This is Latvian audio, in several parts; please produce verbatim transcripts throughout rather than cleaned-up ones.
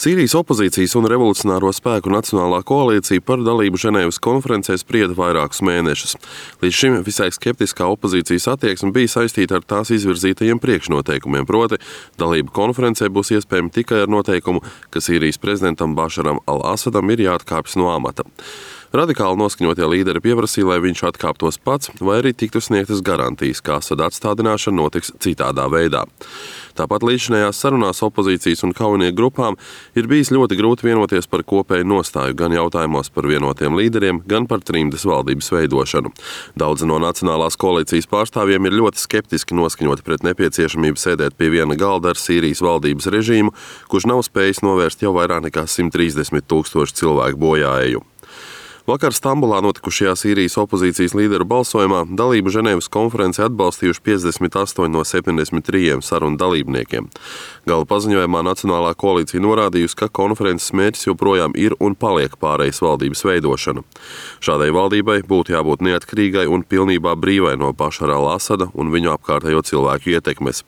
Sīrijas opozīcijas un revolucionāro spēku Nacionālā koalīcija par dalību Ženēvas konferencē sprieda vairākus mēnešus. Līdz šim visai skeptiskā opozīcijas attieksme bija saistīta ar tās izvirzītajiem priekšnoteikumiem, proti dalība konferencē būs iespējama tikai ar noteikumu, ka Sīrijas prezidentam Bašaram al-Asadam ir jāatkāpjas no amata. Radikāli noskaņotie līderi pieprasīja, lai viņš atkāptos pats, vai arī tiktu sniegtas garantijas, ka Asada atstādināšana notiks citādā veidā. Tāpat līdzinājās sarunās opozīcijas un kaujinieku grupām ir bijis ļoti grūti vienoties par kopēju nostāju gan jautājumos par vienotiem līderiem, gan par trimdas valdības veidošanu. Daudzi no Nacionālās koalīcijas pārstāvjiem ir ļoti skeptiski noskaņoti pret nepieciešamību sēdēt pie viena galda ar Sīrijas valdības režīmu, kurš nav spējis novērst jau vairāk nekā simt trīsdesmit tūkstoši cilvēku bojāēju. Vakar Stambulā notikušajā Sīrijas opozīcijas līderu balsojumā dalību Ženēvas konferencē atbalstījuši piecdesmit astoņi no septiņdesmit trījiem sarunu dalībniekiem. Gala paziņojumā Nacionālā koalīcija norādījusi, ka konferences mērķis joprojām ir un paliek pārejas valdības veidošana. Šādai valdībai būtu jābūt neatkarīgai un pilnībā brīvai no Bašara al-Asada un viņu apkārtējo cilvēku ietekmes.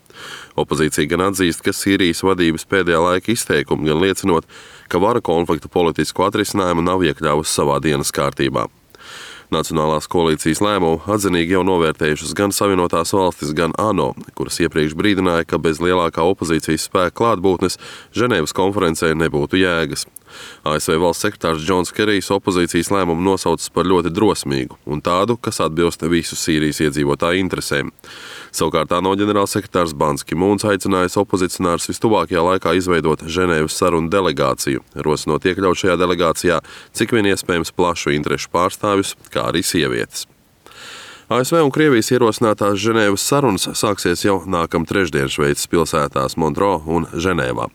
Opozīcija gan atzīst, ka Sīrijas vadības pēdējā laika izteikumi gan liecinot, ka vara konfliktu politisku atrisinājumu nav iekļāvusi savā dienas kārtībā. Nacionālās koalīcijas lēmumu atzinīgi jau novērtējušas gan Savienotās valstis, gan ANO, kuras iepriekš brīdināja, ka bez lielākā opozīcijas spēka klātbūtnes Ženēvas konferencē nebūtu jēgas. A S V valsts sekretārs Džons Kerijs opozīcijas lēmumu nosaucis par ļoti drosmīgu un tādu, kas atbilst visu Sīrijas iedzīvotāju interesēm. Savukārt ANO ģenerālsekretārs Bans Ki-mūns aicinājis opozicionārus vistuvākajā laikā izveidot Ženēvas sarunu delegāciju, rosinot iekļaut šajā delegācijā cik vien iespējams plašu interešu pārstāvjus, kā arī sievietes. A S V un Krievijas ierosinātās Ženēvas sarunas sāksies jau nākam trešdien Šveices pilsētās Montreux un Ženēvā.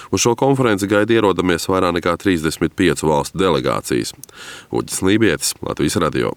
Uz šo konferenci gaida ierodamies vairāk nekā trīsdesmit piecu valstu delegācijas. Uģis Lībietis, Latvijas radio.